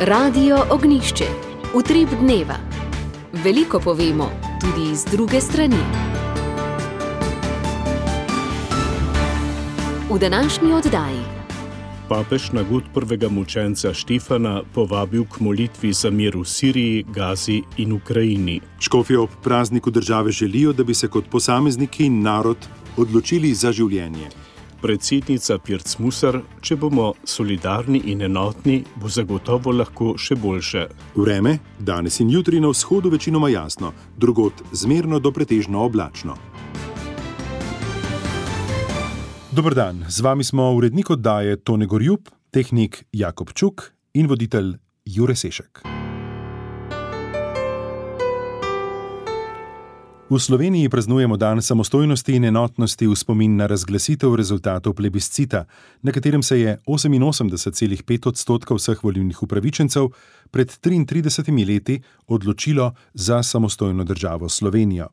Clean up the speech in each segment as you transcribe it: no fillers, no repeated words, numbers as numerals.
Radio Ognišče, utrip dneva. Veliko povemo, tudi z druge strani. V današnji oddaji. Papež na god prvega mučenca Štefana povabil k molitvi za mir v Siriji, Gazi in Ukrajini. Škofje ob prazniku države želijo, da bi se kot posamezniki in narod odločili za življenje. Predsednica Pirc Musar: če bomo solidarni in enotni, bo zagotovo lahko še boljše. Vreme, danes in jutri na vzhodu večinoma jasno, drugod zmerno do pretežno oblačno. Dober dan, z vami smo urednik oddaje Tone Gorjup, tehnik Jakob Čuk in voditelj Jure Sešek. V Sloveniji praznujemo dan samostojnosti in enotnosti v spomin na razglasitev rezultatov plebiscita, na katerem se je 88,5% vseh volilnih upravičencev pred 33 leti odločilo za samostojno državo Slovenijo.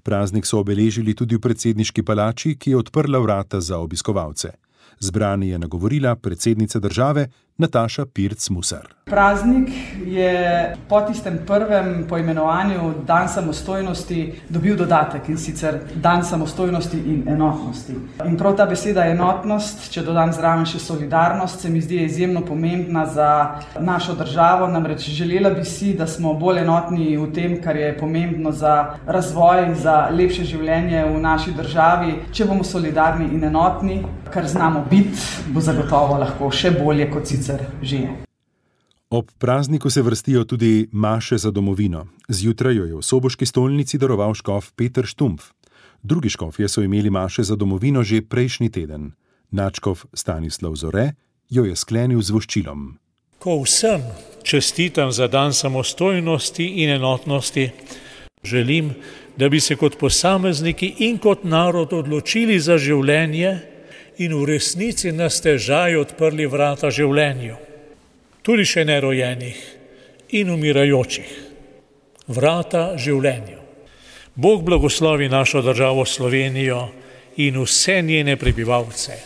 Praznik so obeležili tudi v predsedniški palači, ki je odprla vrata za obiskovalce. Zbrani je nagovorila predsednica države Nataša Pirc Musar. Praznik je po tistem prvem poimenovanju Dan samostojnosti dobil dodatek, in sicer Dan samostojnosti in enotnosti. In prav ta beseda enotnost, če dodam zraven še solidarnost, se mi zdi izjemno pomembna za našo državo. Namreč želela bi si, da smo bolj enotni v tem, kar je pomembno za razvoj, za lepše življenje v naši državi. Če bomo solidarni in enotni, kar znamo biti, bo zagotovo lahko še bolje kot sicer že je. Ob prazniku se vrstijo tudi maše za domovino. Zjutraj jo je v soboški stolnici daroval škof Peter Štumpf. Drugi škofje so imeli maše za domovino že prejšnji teden. Nadškof Stanislav Zore jo je sklenil z voščilom. Ko vsem čestitam za dan samostojnosti in enotnosti, želim, da bi se kot posamezniki in kot narod odločili za življenje in v resnici na stežaj odprli vrata življenju, tudi še nerojenih in umirajočih. Vrata življenju. Bog blagoslovi našo državo Slovenijo in vse njene prebivalce.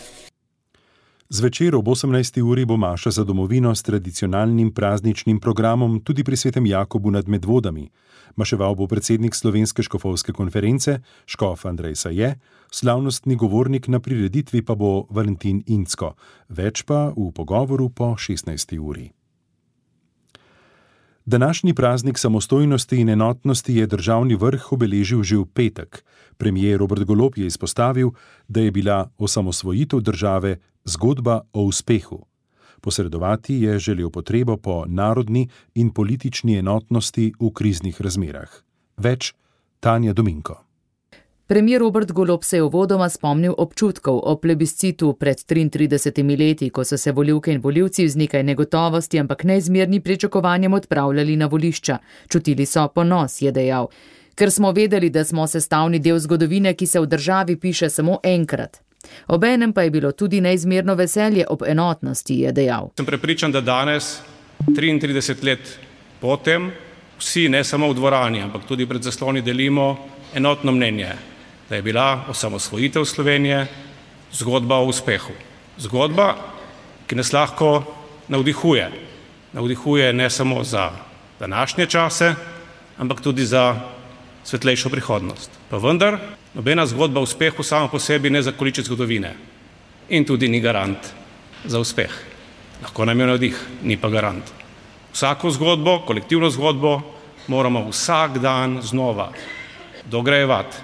Zvečer ob 18. uri bo maša za domovino s tradicionalnim prazničnim programom tudi pri svetem Jakobu nad Medvodami. Maševal bo predsednik Slovenske škofovske konference, škof Andrej Saje, slavnostni govornik na prireditvi pa bo Valentin Incko, več pa v pogovoru po 16. uri. Današnji praznik samostojnosti in enotnosti je državni vrh obeležil že v petek. Premier Robert Golob je izpostavil, da je bila osamosvojitev države zgodba o uspehu. Posredovati je želel potrebo po narodni in politični enotnosti v kriznih razmerah. Več Tanja Dominko. Premier Robert Golob se je uvodoma spomnil občutkov o plebiscitu pred 33 leti, ko so se volivke in volivci z nekaj negotovosti, ampak neizmerni pričakovanjem odpravljali na volišča. Čutili so ponos, je dejal, ker smo vedeli, da smo sestavni del zgodovine, ki se v državi piše samo enkrat. Obenem pa je bilo tudi neizmerno veselje ob enotnosti, je dejal. Sem prepričan, da danes, 33 let potem, vsi ne samo v dvorani, ampak tudi pred zasloni delimo enotno mnenje, da je bila osamosvojitev Slovenije zgodba o uspehu. Zgodba, ki nas lahko navdihuje. Navdihuje ne samo za današnje čase, ampak tudi za svetlejšo prihodnost. Pa vendar, nobena zgodba o uspehu sama po sebi ne zakoliči zgodovine in tudi ni garant za uspeh. Lahko nam je navdih, ni pa garant. Vsako zgodbo, kolektivno zgodbo, moramo vsak dan znova dograjevati.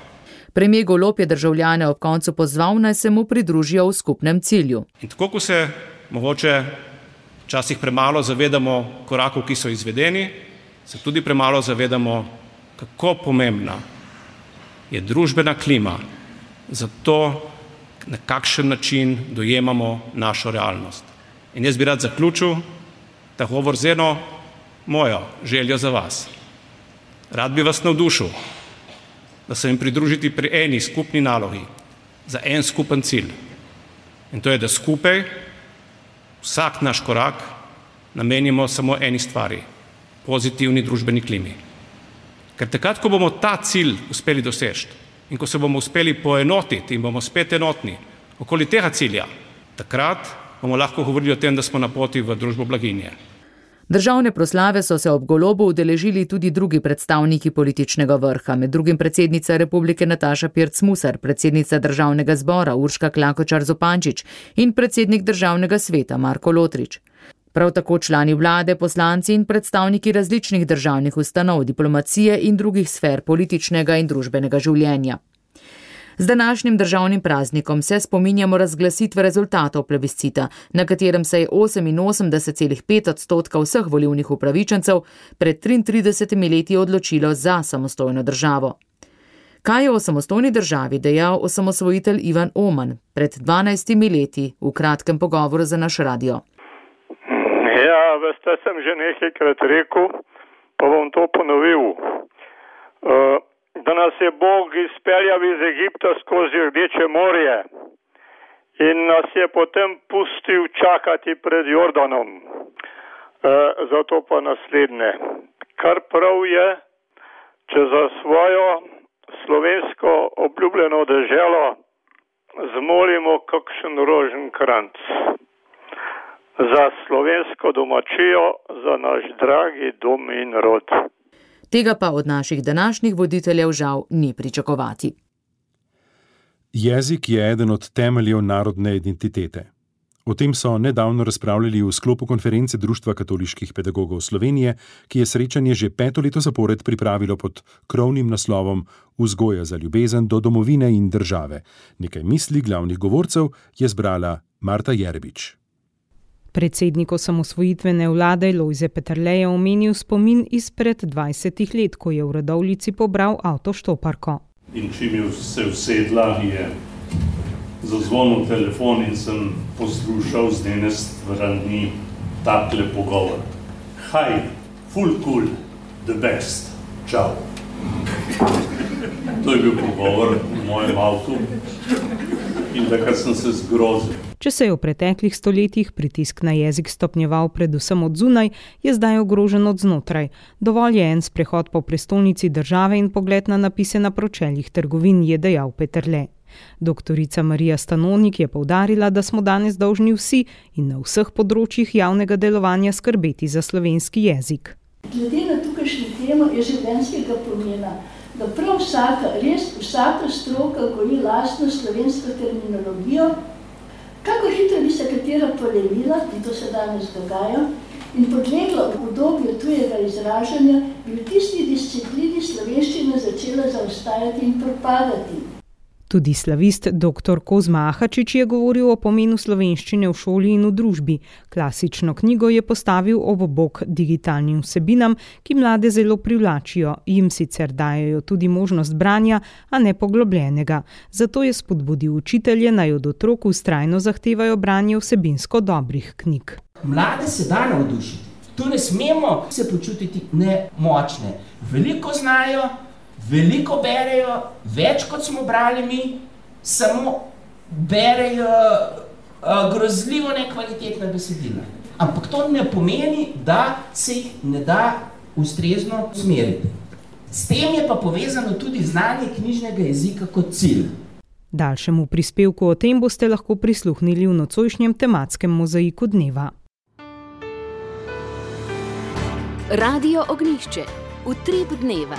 Premier Golob je državljane ob koncu pozval, naj se mu pridružijo v skupnem cilju. In tako, ko se mogoče včasih premalo zavedamo korakov, ki so izvedeni, se tudi premalo zavedamo, kako pomembna je družbena klima za to, na kakšen način dojemamo našo realnost. In jaz bi rad zaključil ta govor z eno mojo željo za vas. Rad bi vas navdušil, da se jim pridružiti pri eni skupni nalogi, za en skupen cilj. In to je, da skupaj vsak naš korak namenimo samo eni stvari, pozitivni družbeni klimi. Ker takrat, ko bomo ta cilj uspeli doseči in ko se bomo uspeli poenotiti in bomo spet enotni okoli tega cilja, takrat bomo lahko govorili o tem, da smo na poti v družbo blaginje. Državne proslave so se ob Golobu udeležili tudi drugi predstavniki političnega vrha, med drugim predsednica Republike Nataša Pirc Musar, predsednica Državnega zbora Urška Klakočar Zupančič in predsednik Državnega sveta Marko Lotrič. Prav tako člani vlade, poslanci in predstavniki različnih državnih ustanov, diplomacije in drugih sfer političnega in družbenega življenja. Z današnjim državnim praznikom se spominjamo razglasitve rezultatov plebiscita, na katerem se je 88,5% vseh volilnih upravičencev pred 33 leti odločilo za samostojno državo. Kaj je o samostojni državi dejal osamosvojitelj Ivan Oman pred 12 leti v kratkem pogovoru za naš radio? Ja, veste, sem že nekajkrat rekel, pa bom to ponovil. Da nas je Bog izpeljal iz Egipta skozi Rdeče morje in nas je potem pustil čakati pred Jordanom. Zato pa naslednje. Kar prav je, če za svojo slovensko obljubljeno deželo zmolimo kakšen roženkranc. Za slovensko domačijo, za naš dragi dom in rod. Tega pa od naših današnjih voditeljev žal ni pričakovati. Jezik je eden od temeljev narodne identitete. O tem so nedavno razpravljali v sklopu konference Društva katoliških pedagogov Slovenije, ki je srečanje že 5. leto zapored pripravilo pod krovnim naslovom Vzgoja za ljubezen do domovine in države. Nekaj misli glavnih govorcev je zbrala Marta Jerbič. Predsednik osamosvojitvene vlade Lojze Peterle je omenil spomin izpred 20 let, ko je v Radovljici pobral avtoštoparko. In čim je se usedla, je zazvonil telefon in sem poslušal z njene strani takle pogovor. Hi, full cool, the best, čau. To je bil pogovor v mojem avtu in takrat sem se zgrozil. Če se je v preteklih stoletjih pritisk na jezik stopnjeval predvsem od zunaj, je zdaj ogrožen od znotraj. Dovolj je en sprehod po prestolnici države in pogled na napise na pročeljih trgovin, je dejal Peterle. Doktorica Marija Stanonik je poudarila, da smo danes dolžni vsi in na vseh področjih javnega delovanja skrbeti za slovenski jezik. Glede na tukajšnjo temo je življenjskega pomena, da prav vsaka stroka goji lastno slovensko terminologijo. Kako hitro bi se katera polemila, in to se danes dogaja, in podlegla v obdobju tujega izražanja, bi v tisti disciplini slovenščina začela zaostajati in propadati. Tudi slavist dr. Kozma Ahačič je govoril o pomenu slovenščine v šoli in v družbi. Klasično knjigo je postavil ob bok digitalnim vsebinam, ki mlade zelo privlačijo, jim sicer dajejo tudi možnost branja, a ne poglobljenega. Zato je spodbudil učitelje, naj od otrok vztrajno zahtevajo branje vsebinsko dobrih knjig. Mlade se da navdušiti. Tu ne smemo se počutiti nemočne. Veliko znajo, veliko berejo, več kot smo brali mi, samo berejo grozljivo nekvalitetna besedila. Ampak to ne pomeni, da se jih ne da ustrezno usmeriti. S tem je pa povezano tudi znanje knjižnega jezika kot cilj. Daljšemu prispevku o tem boste lahko prisluhnili v nocojšnjem tematskem mozaiku dneva. Radio Ognjišče. Utrip dneva.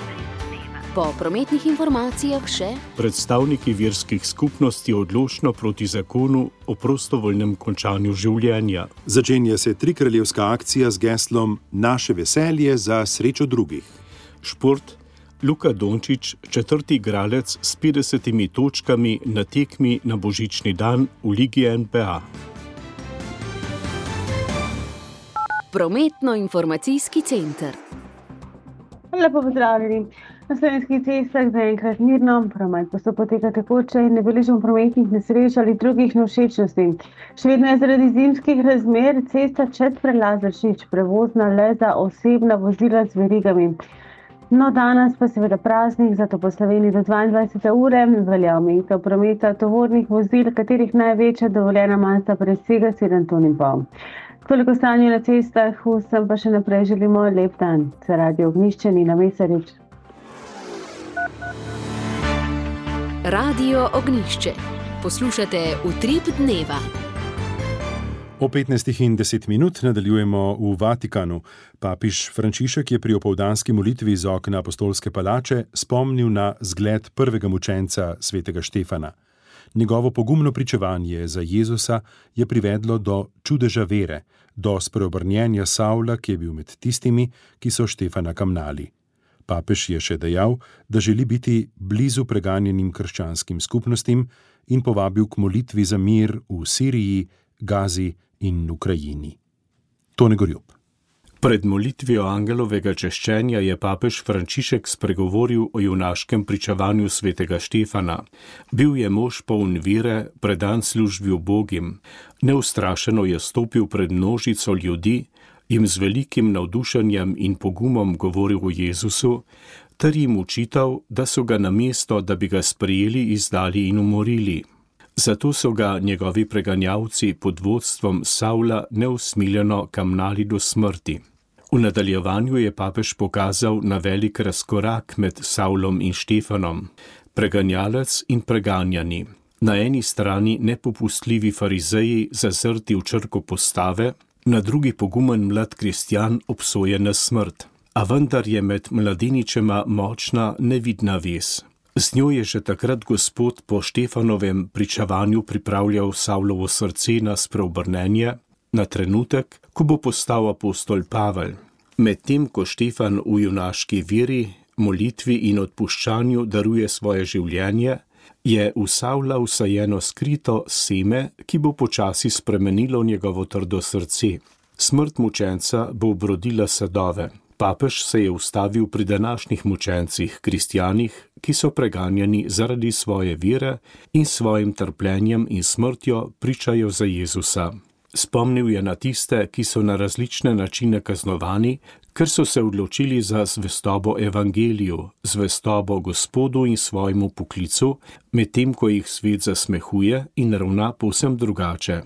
Po prometnih informacijah še predstavniki verskih skupnosti odločno proti zakonu o prostovoljnem končanju življenja. Začenja se trikraljevska akcija z geslom Naše veselje za srečo drugih. Šport. Luka Dončić, 4. igralec s 50 točkami na tekmi na božični dan v Ligi NPA. Prometno-informacijski center. Lepo pozdravljeni. Na slovenskih cestah zaenkrat mirno, promet pa se poteka tekoče in ne beležimo prometnih nesreč ali drugih nevšečnosti. Še vedno je zaradi zimskih razmer cesta čez prelaz Vršič prevozna le za osebna vozila z verigami. No, danes pa seveda praznik, zato po Sloveniji do 22. ure velja omejitev prometa tovornih vozil, katerih največja dovoljena masa presega 7,5 ton. Toliko stanja na cestah, vsem pa še naprej želimo lep dan. Se Radio Ognjišče, Nina Mesarič. Radio Ognjišče. Poslušate Utrip dneva. O 15:10 nadaljujemo v Vatikanu. Papež Frančišek je pri opoldanski molitvi iz okna Apostolske palače spomnil na zgled prvega mučenca svetega Štefana. Njegovo pogumno pričevanje za Jezusa je privedlo do čudeža vere, do spreobrnjenja Savla, ki je bil med tistimi, ki so Štefana kamnali. Papež je še dejal, da želi biti blizu preganjenim krščanskim skupnostim in povabil k molitvi za mir v Siriji, Gazi in Ukrajini. Tone Gorjup. Pred molitvijo angelovega češčenja je papež Frančišek spregovoril o junaškem pričevanju svetega Štefana. Bil je mož poln vere, predan službi ubogim. Neustrašeno je stopil pred množico ljudi, jim z velikim navdušenjem in pogumom govoril o Jezusu, ter jim učital, da so ga namesto, da bi ga sprejeli, izdali in umorili. Zato so ga njegovi preganjavci pod vodstvom Savla neusmiljeno kamnali do smrti. V nadaljevanju je papež pokazal na velik razkorak med Savlom in Štefanom, preganjalec in preganjani. Na eni strani nepopustljivi farizeji zazrti v črko postave, na drugi pogumen mlad kristjan obsojen na smrt. A vendar je med mladeničema močna nevidna vez. Z njo je že takrat Gospod po Štefanovem pričevanju pripravljal Savlovo srce na spreobrnenje, na trenutek, ko bo postal apostol Pavel. Medtem ko Štefan v junaški veri, molitvi in odpuščanju daruje svoje življenje, je v Savla vsajeno skrito seme, ki bo počasi spremenilo njegovo trdo srce. Smrt mučenca bo obrodila sadove. Papež se je ustavil pri današnjih mučencih, kristjanih, ki so preganjani zaradi svoje vere in svojim trpljenjem in smrtjo pričajo za Jezusa. Spomnil je na tiste, ki so na različne načine kaznovani, ker so se odločili za zvestobo evangeliju, zvestobo Gospodu in svojemu poklicu, medtem ko jih svet zasmehuje in ravna povsem drugače.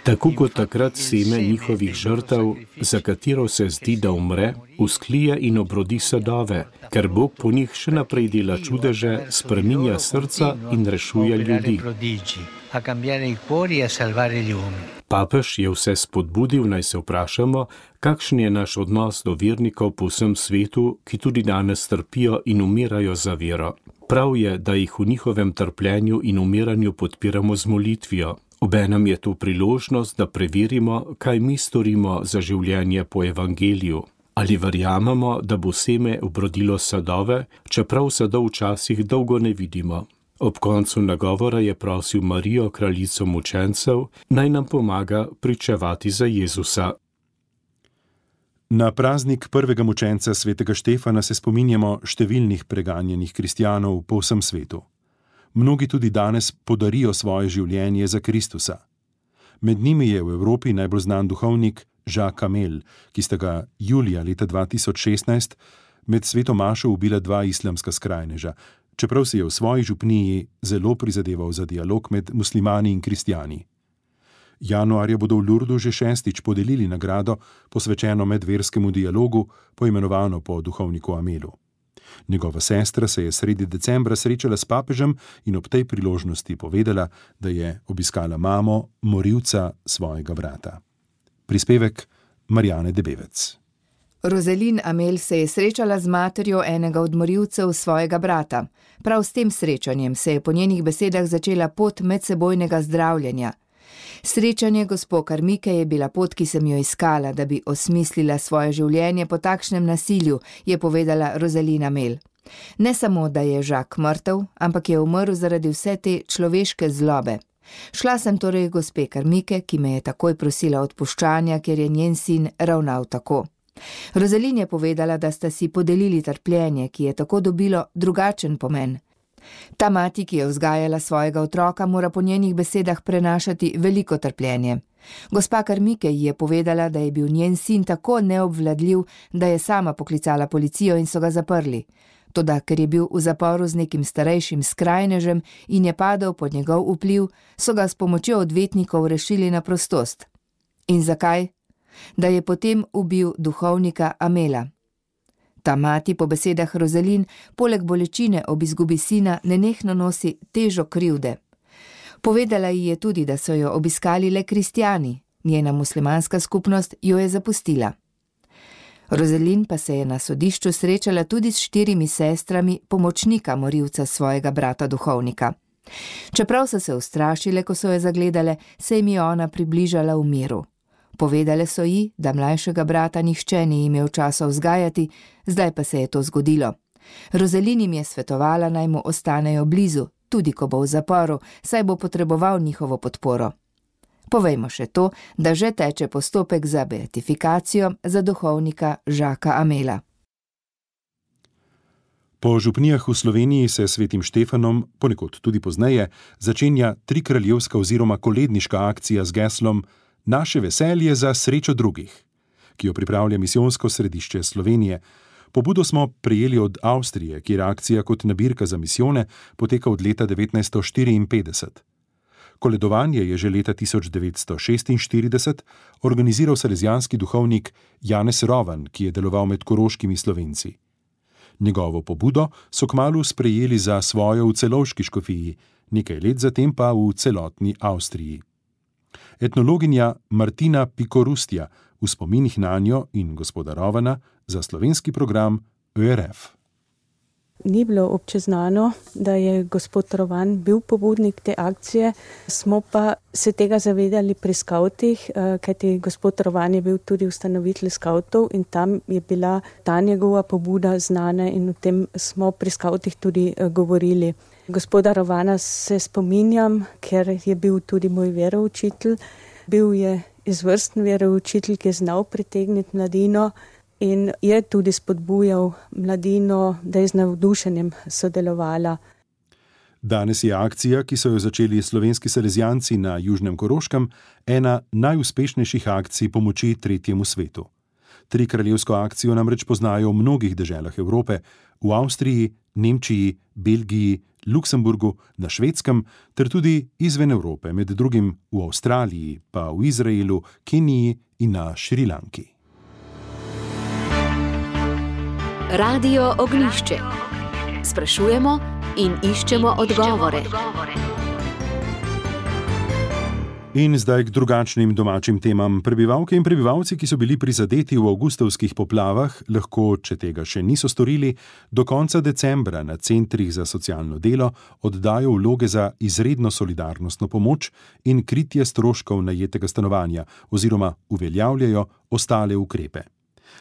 Tako kot takrat seme njihovih žrtev, za katero se zdi, da umre, vzklije in obrodi sadove, ker Bog po njih še naprej dela čudeže, spreminja srca in rešuje ljudi. Papež je vse spodbudil, naj se vprašamo, kakšen je naš odnos do vernikov po vsem svetu, ki tudi danes trpijo in umirajo za vero. Prav je, da jih v njihovem trpljenju in umiranju podpiramo z molitvijo. Obenem je to priložnost, da preverimo, kaj mi storimo za življenje po evangeliju. Ali verjamemo, da bo seme obrodilo sadove, čeprav sadov včasih dolgo ne vidimo. Ob koncu nagovora je prosil Marijo, kraljico mučencev, naj nam pomaga pričevati za Jezusa. Na praznik prvega mučenca svetega Štefana se spominjamo številnih preganjenih kristjanov po vsem svetu. Mnogi tudi danes podarijo svoje življenje za Kristusa. Med njimi je v Evropi najbolj znan duhovnik Jacques Amel, ki sta ga julija leta 2016 med sveto mašo ubila dva islamska skrajneža, čeprav si je v svoji župniji zelo prizadeval za dialog med muslimani in kristjani. Januarja bodo v Lurdu že 6. podelili nagrado, posvečeno medverskemu dialogu, poimenovano po duhovniku Amelu. Njegova sestra se je sredi decembra srečala s papežem in ob tej priložnosti povedala, da je obiskala mamo, morilca svojega brata. Prispevek Marjane Debevec. Rozelin Amel se je srečala z materjo enega od morilcev svojega brata. Prav s tem srečanjem se je po njenih besedah začela pot medsebojnega zdravljenja. Srečanje gospo Karmike je bila pot, ki sem jo iskala, da bi osmislila svoje življenje po takšnem nasilju, je povedala Rozelin Amel. Ne samo, da je Jacques mrtev, ampak je umrl zaradi vse te človeške zlobe. Šla sem torej gospe Karmike, ki me je takoj prosila odpuščanja, ker je njen sin ravnal tako. Rozelin je povedala, da sta si podelili trpljenje, ki je tako dobilo drugačen pomen. Ta mati, ki je vzgajala svojega otroka, mora po njenih besedah prenašati veliko trpljenje. Gospa Karmike ji je povedala, da je bil njen sin tako neobvladljiv, da je sama poklicala policijo in so ga zaprli. Toda, ker je bil v zaporu z nekim starejšim skrajnežem in je padel pod njegov vpliv, so ga s pomočjo odvetnikov rešili na prostost. In zakaj? Da je potem ubil duhovnika Amela. Ta mati, po besedah Rozelin, poleg bolečine ob izgubi sina nenehno nosi težo krivde. Povedala ji je tudi, da so jo obiskali le kristjani, njena muslimanska skupnost jo je zapustila. Rozelin pa se je na sodišču srečala tudi s 4 sestrami pomočnika morilca svojega brata duhovnika. Čeprav so se ustrašile, ko so jo zagledale, se jim je ona približala v miru. Povedale so ji, da mlajšega brata nihče ni imel časa vzgajati, zdaj pa se je to zgodilo. Rozelin jim je svetovala, naj mu ostanejo blizu, tudi ko bo v zaporu, saj bo potreboval njihovo podporo. Povejmo še to, da že teče postopek za beatifikacijo za duhovnika Žaka Amela. Po župnijah v Sloveniji se svetim Štefanom, ponekod tudi pozneje, začenja trikraljevska oziroma koledniška akcija z geslom Naše veselje za srečo drugih, ki jo pripravlja misijonsko središče Slovenije. Pobudo smo prejeli od Avstrije, kjer akcija kot nabirka za misijone poteka od leta 1954. Koledovanje je že leta 1946 organiziral salezijanski duhovnik Janez Rovan, ki je deloval med koroškimi Slovenci. Njegovo pobudo so kmalu sprejeli za svojo v Celovški škofiji, nekaj let zatem pa v celotni Avstriji. Etnologinja Martina Pikorustja v spominih nanjo in gospoda Rovana za slovenski program ÖRF. Ni bilo občeznano, da je gospod Rovan bil pobudnik te akcije, smo pa se tega zavedali pri skavtih, kajti gospod Rovan je bil tudi ustanovitelj skavtov in tam je bila ta njegova pobuda znana in o tem smo pri skavtih tudi govorili. Gospoda Rovana se spominjam, ker je bil tudi moj veroučitelj. Bil je izvrsten veroučitelj, ki je znal pritegniti mladino in je tudi spodbujal mladino, da je z navdušenjem sodelovala. Danes je akcija, ki so jo začeli slovenski salezijanci na Južnem Koroškem, ena najuspešnejših akcij pomoči tretjemu svetu. Trikraljevsko akcijo namreč poznajo v mnogih deželah Evrope, v Avstriji, Nemčiji, Belgiji, Luksemburgu, na Švedskem ter tudi izven Evrope, med drugim v Avstraliji, pa v Izraelu, Keniji in na Šrilanki. Radio Ognjišče. Sprašujemo in iščemo odgovore. In zdaj k drugačnim domačim temam. Prebivalke in prebivalci, ki so bili prizadeti v avgustovskih poplavah, lahko, če tega še niso storili, do konca decembra na centrih za socialno delo oddajo vloge za izredno solidarnostno pomoč in kritje stroškov najetega stanovanja oziroma uveljavljajo ostale ukrepe.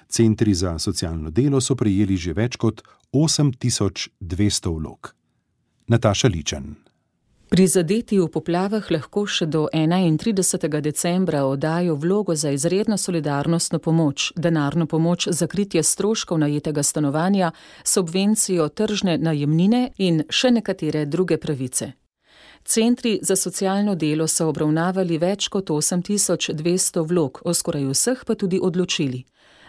Centri za socialno delo so prejeli že več kot 8200 vlog. Nataša Ličen. Prizadeti v poplavah lahko še do 31. decembra oddajo vlogo za izredno solidarnostno pomoč, denarno pomoč za kritje stroškov najetega stanovanja, subvencijo tržne najemnine in še nekatere druge pravice. Centri za socialno delo so obravnavali več kot 8200 vlog, o skoraj vseh pa tudi odločili.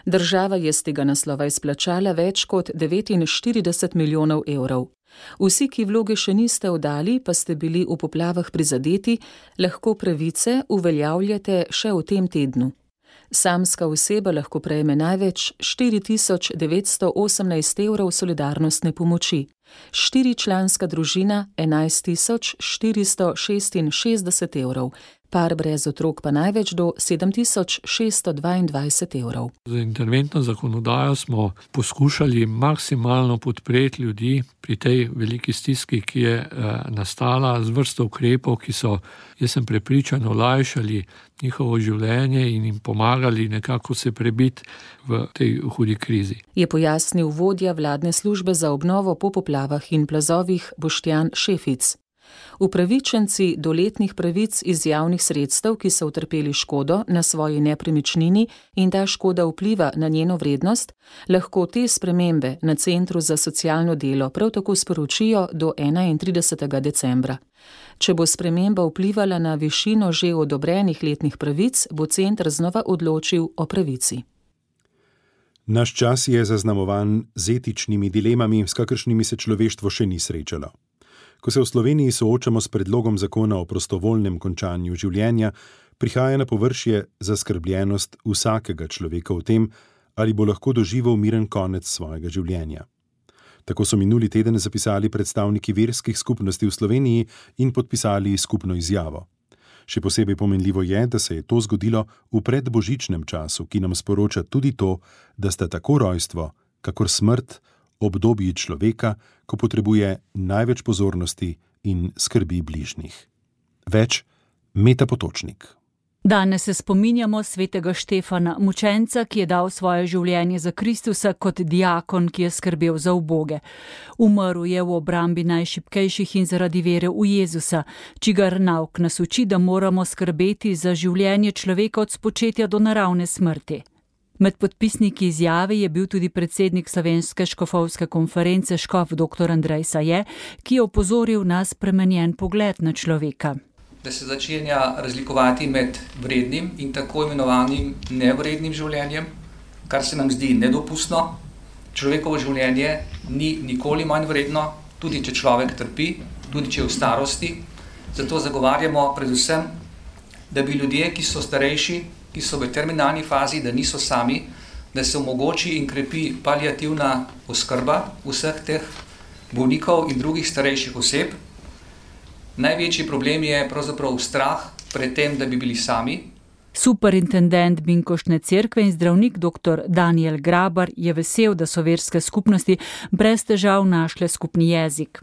Država je z tega naslova izplačala več kot 49 milijonov evrov. Vsi, ki vloge še niste oddali, pa ste bili v poplavah prizadeti, lahko pravice uveljavljate še v tem tednu. Samska oseba lahko prejme največ 4918 evrov solidarnostne pomoči, 4-članska družina 11466 evrov, par brez otrok pa največ do 7622 evrov. Z interventno zakonodajo smo poskušali maksimalno podpreti ljudi pri tej veliki stiski, ki je nastala z vrsto ukrepov, ki so, jaz sem prepričan, olajšali njihovo življenje in jim pomagali nekako se prebiti v tej hudi krizi. Je pojasnil vodja vladne službe za obnovo po poplavah in plazovih Boštjan Šefic. Upravičenci do letnih pravic iz javnih sredstev, ki so utrpeli škodo na svoji nepremičnini in ta škoda vpliva na njeno vrednost, lahko te spremembe na Centru za socialno delo prav tako sporočijo do 31. decembra. Če bo sprememba vplivala na višino že odobrenih letnih pravic, bo center znova odločil o pravici. Naš čas je zaznamovan z etičnimi dilemami, s kakršnimi se človeštvo še ni srečalo. Ko se v Sloveniji soočamo s predlogom zakona o prostovoljnem končanju življenja, prihaja na površje zaskrbljenost vsakega človeka v tem, ali bo lahko doživel miren konec svojega življenja. Tako so minuli teden zapisali predstavniki verskih skupnosti v Sloveniji in podpisali skupno izjavo. Še posebej pomenljivo je, da se je to zgodilo v predbožičnem času, ki nam sporoča tudi to, da sta tako rojstvo, kakor smrt, obdobji človeka, ko potrebuje največ pozornosti in skrbi bližnjih. Več Meta Potočnik. Danes se spominjamo svetega Štefana, mučenca, ki je dal svoje življenje za Kristusa kot diakon, ki je skrbel za uboge. Umrl je v obrambi najšibkejših in zaradi vere v Jezusa, čigar nauk nas uči, da moramo skrbeti za življenje človeka od spočetja do naravne smrti. Med podpisniki izjave je bil tudi predsednik Slovenske škofovske konference škof dr. Andrej Saje, ki je opozoril na spremenjen pogled na človeka. Da se začenja razlikovati med vrednim in tako imenovanim nevrednim življenjem, kar se nam zdi nedopustno. Človekovo življenje ni nikoli manj vredno, tudi če človek trpi, tudi če je v starosti. Zato zagovarjamo predvsem, da bi ljudje, ki so starejši, ki so v terminalni fazi, da niso sami, da se omogoči in krepi paliativna oskrba vseh teh bolnikov in drugih starejših oseb. Največji problem je pravzaprav strah pred tem, da bi bili sami. Superintendent Binkoštne cerkve in zdravnik dr. Daniel Grabar je vesel, da so verske skupnosti brez težav našle skupni jezik.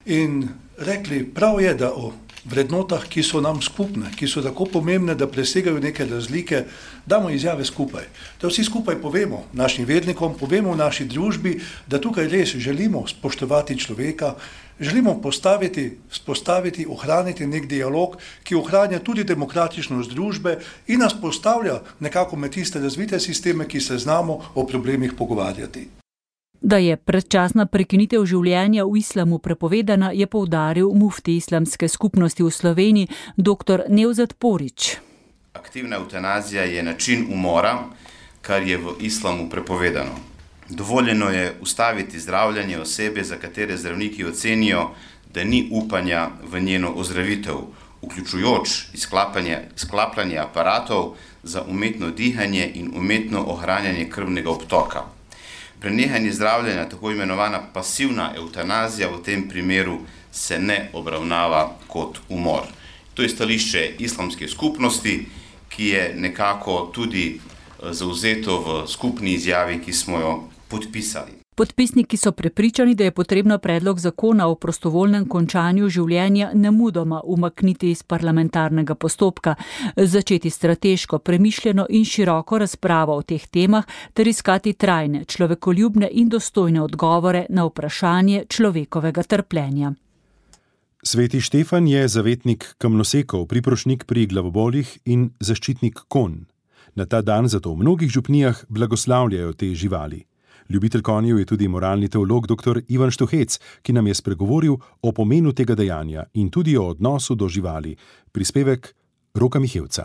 In rekli, prav je, da o vrednotah, ki so nam skupne, ki so tako pomembne, da presegajo neke razlike, damo izjave skupaj. Da vsi skupaj povemo našim vernikom, povemo v naši družbi, da tukaj res želimo spoštovati človeka, želimo vzpostaviti, ohraniti nek dialog, ki ohranja tudi demokratičnost družbe in nas postavlja nekako med tiste razvite sisteme, ki se znamo o problemih pogovarjati. Da je predčasna prekinitev življenja v islamu prepovedana, je poudaril mufti islamske skupnosti v Sloveniji dr. Nevzat Porić. Aktivna eutanazija je način umora, kar je v islamu prepovedano. Dovoljeno je ustaviti zdravljenje osebe, za katere zdravniki ocenijo, da ni upanja v njeno ozdravitev, vključujoč sklapljanje aparatov za umetno dihanje in umetno ohranjanje krvnega obtoka. Prenehanje zdravljenja, tako imenovana pasivna eutanazija, v tem primeru se ne obravnava kot umor. To je stališče islamske skupnosti, ki je nekako tudi zavzeto v skupni izjavi, ki smo jo podpisali. Podpisniki so prepričani, da je potrebno predlog zakona o prostovoljnem končanju življenja nemudoma umakniti iz parlamentarnega postopka, začeti strateško, premišljeno in široko razpravo o teh temah ter iskati trajne, človekoljubne in dostojne odgovore na vprašanje človekovega trpljenja. Sveti Štefan je zavetnik kamnosekov, priprošnik pri glavobolih in zaščitnik konj. Na ta dan zato v mnogih župnijah blagoslavljajo te živali. Ljubitelj konjev je tudi moralni teolog dr. Ivan Štuhec, ki nam je spregovoril o pomenu tega dejanja in tudi o odnosu do živali. Prispevek Roka Mihevca.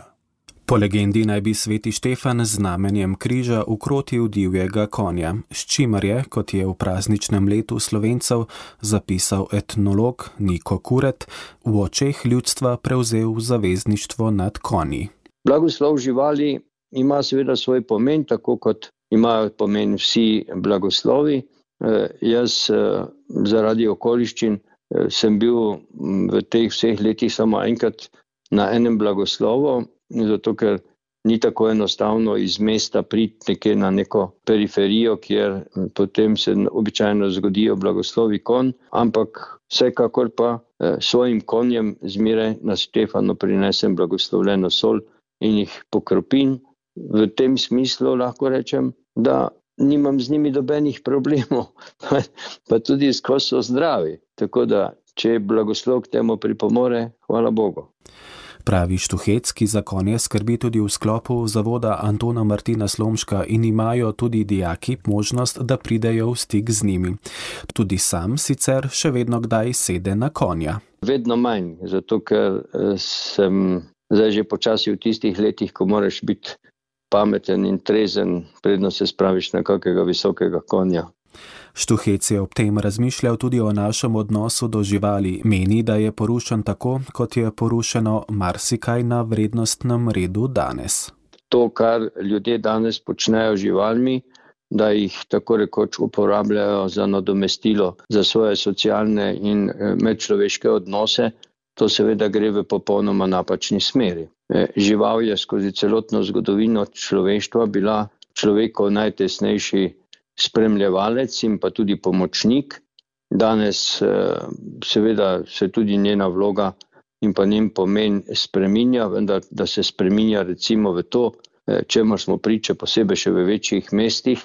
Po legendi naj bi sveti Štefan z znamenjem križa ukrotil divjega konja, s čimer je, kot je v prazničnem letu Slovencev zapisal etnolog Niko Kuret, v očeh ljudstva prevzel zavezništvo nad konji. Blagoslov živali ima seveda svoj pomen, tako kot imajo pomen vsi blagoslovi. Jaz zaradi okoliščin sem bil v teh vseh letih samo enkrat na enem blagoslovu, zato ker ni tako enostavno iz mesta priti nekje na neko periferijo, kjer potem se običajno zgodijo blagoslovi konj, ampak vsekakor pa svojim konjem zmeraj na Štefanu prinesem blagoslovljeno sol in jih pokropim. V tem smislu lahko rečem, da nimam z njimi dobenih problemov, pa tudi skozi so zdravi. Tako da, če blagoslov k temu pripomore, hvala Bogu. Pravi Štuhec, ki za konje skrbi tudi v sklopu zavoda Antona Martina Slomška in imajo tudi dijaki možnost, da pridejo v stik z njimi. Tudi sam sicer še vedno kdaj sede na konja. Vedno manj, zato ker sem zdaj že počasi v tistih letih, ko moraš biti pameten in trezen, predno se spraviš na kakega visokega konja. Štuhec je ob tem razmišljal tudi o našem odnosu do živali. Meni, da je porušen tako, kot je porušeno marsikaj na vrednostnem redu danes. To, kar ljudje danes počnejo z živalmi, da jih tako rekoč uporabljajo za nadomestilo za svoje socialne in medčloveške odnose, to seveda gre v popolnoma napačni smeri. Žival je skozi celotno zgodovino človeštva bila človekov najtesnejši spremljevalec in pa tudi pomočnik. Danes seveda se tudi njena vloga in pa njen pomen spreminja, vendar da se spreminja recimo v to, čemu smo priče posebej še v večjih mestih,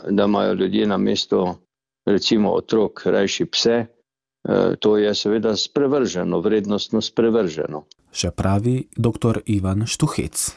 da imajo ljudje na mesto recimo otrok rajši pse, to je seveda sprevrženo, vrednostno sprevrženo. Še pravi dr. Ivan Štuhec.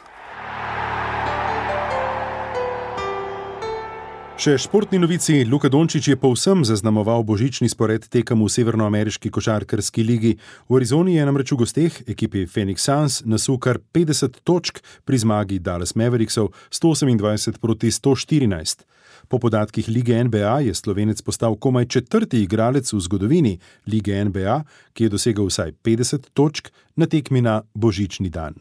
Še športni novici, Luka Dončić je povsem zaznamoval božični spored tekem v severnoameriški košarkarski ligi. V Arizoni je namreč v gosteh ekipi Phoenix Suns nasul kar 50 točk pri zmagi Dallas Mavericksov 128 proti 114. Po podatkih lige NBA je Slovenec postal komaj 4. igralec v zgodovini lige NBA, ki je dosegel vsaj 50 točk na tekmi na božični dan.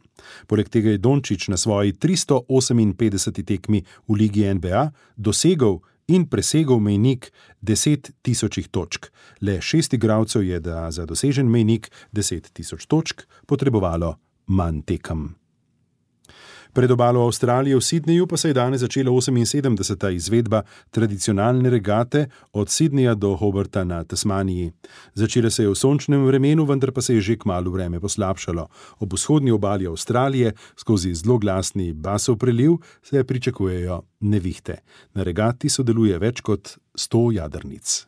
Poleg tega je Dončić na svoji 358. tekmi v ligi NBA dosegel in presegel mejnik 10 tisočih točk. Le 6 igralcev je za dosežen mejnik 10 tisoč točk potrebovalo manj tekem. Pred obalo Avstralije v Sydneyju pa se je danes začela 78. izvedba tradicionalne regate od Sydneyja do Hobarta na Tasmaniji. Začela se je v sončnem vremenu, vendar pa se je že kmalu vreme poslabšalo. Ob vzhodni obali Avstralije skozi zloglasni basov preliv se pričakujejo nevihte. Na regati sodeluje več kot 100 jadrnic.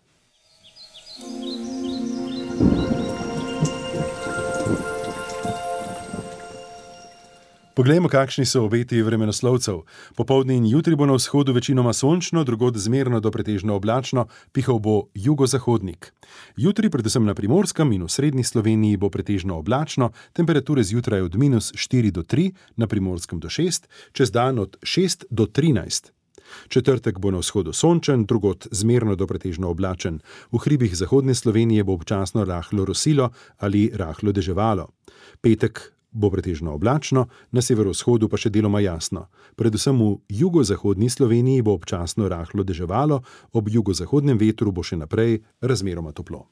Poglejmo, kakšni so obeti vremenoslovcev. Popoldne in jutri bo na vzhodu večinoma sončno, drugod zmerno do pretežno oblačno, pihal bo jugozahodnik. Jutri, predvsem na Primorskem in v srednji Sloveniji, bo pretežno oblačno, temperature zjutraj od -4 do 3, na Primorskem do 6, čez dan od 6 do 13. Četrtek bo na vzhodu sončen, drugod zmerno do pretežno oblačen. V hribih zahodne Slovenije bo občasno rahlo rosilo ali rahlo deževalo. Petek bo pretežno oblačno, na severovzhodu pa še deloma jasno. Predvsem v jugozahodni Sloveniji bo občasno rahlo deževalo, ob jugozahodnem vetru bo še naprej razmeroma toplo.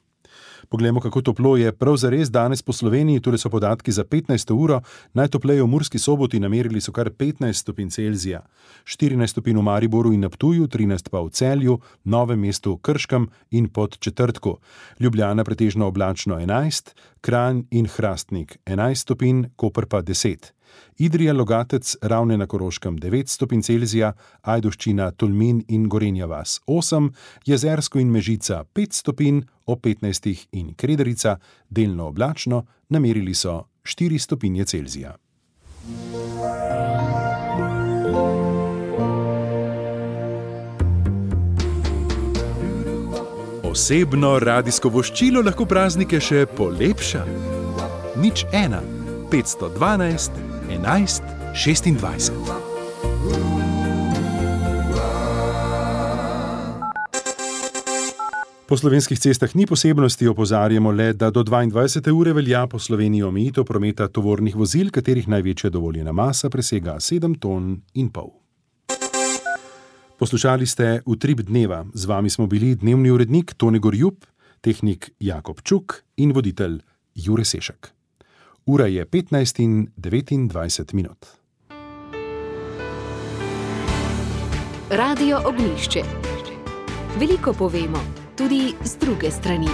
Poglejmo, kako toplo je prav zares danes po Sloveniji, tule so podatki za 15. uro, najtopleje v Murski Soboti namerili so kar 15 stopinj Celzija, 14 stopinj v Mariboru in na Ptuju, 13 pa v Celju, Novem mestu, Krškem in Podčetrtku. Ljubljana pretežno oblačno 11, Kranj in Hrastnik 11 stopinj, Koper pa 10. Idrija, Logatec, Ravne na Koroškem 9 stopinj Celzija, Ajdovščina, Tolmin in Gorenja vas 8, Jezersko in Mežica 5 stopinj, ob 15 in Krederica, delno oblačno, namerili so 4 stopinje Celzija. Osebno radijsko voščilo lahko praznike še polepša. 01 512 11 26. Po slovenskih cestah ni posebnosti, opozarjamo le, da do 22. ure velja po Sloveniji omejitev prometa tovornih vozil, katerih največja dovoljena masa presega 7,5 ton. Poslušali ste Utrip dneva. Z vami smo bili dnevni urednik Tone Gorjup, tehnik Jakob Čuk in voditelj Jure Sešek. Ura je 15:29. Radio Ognjišče. Veliko povemo, tudi z druge strani.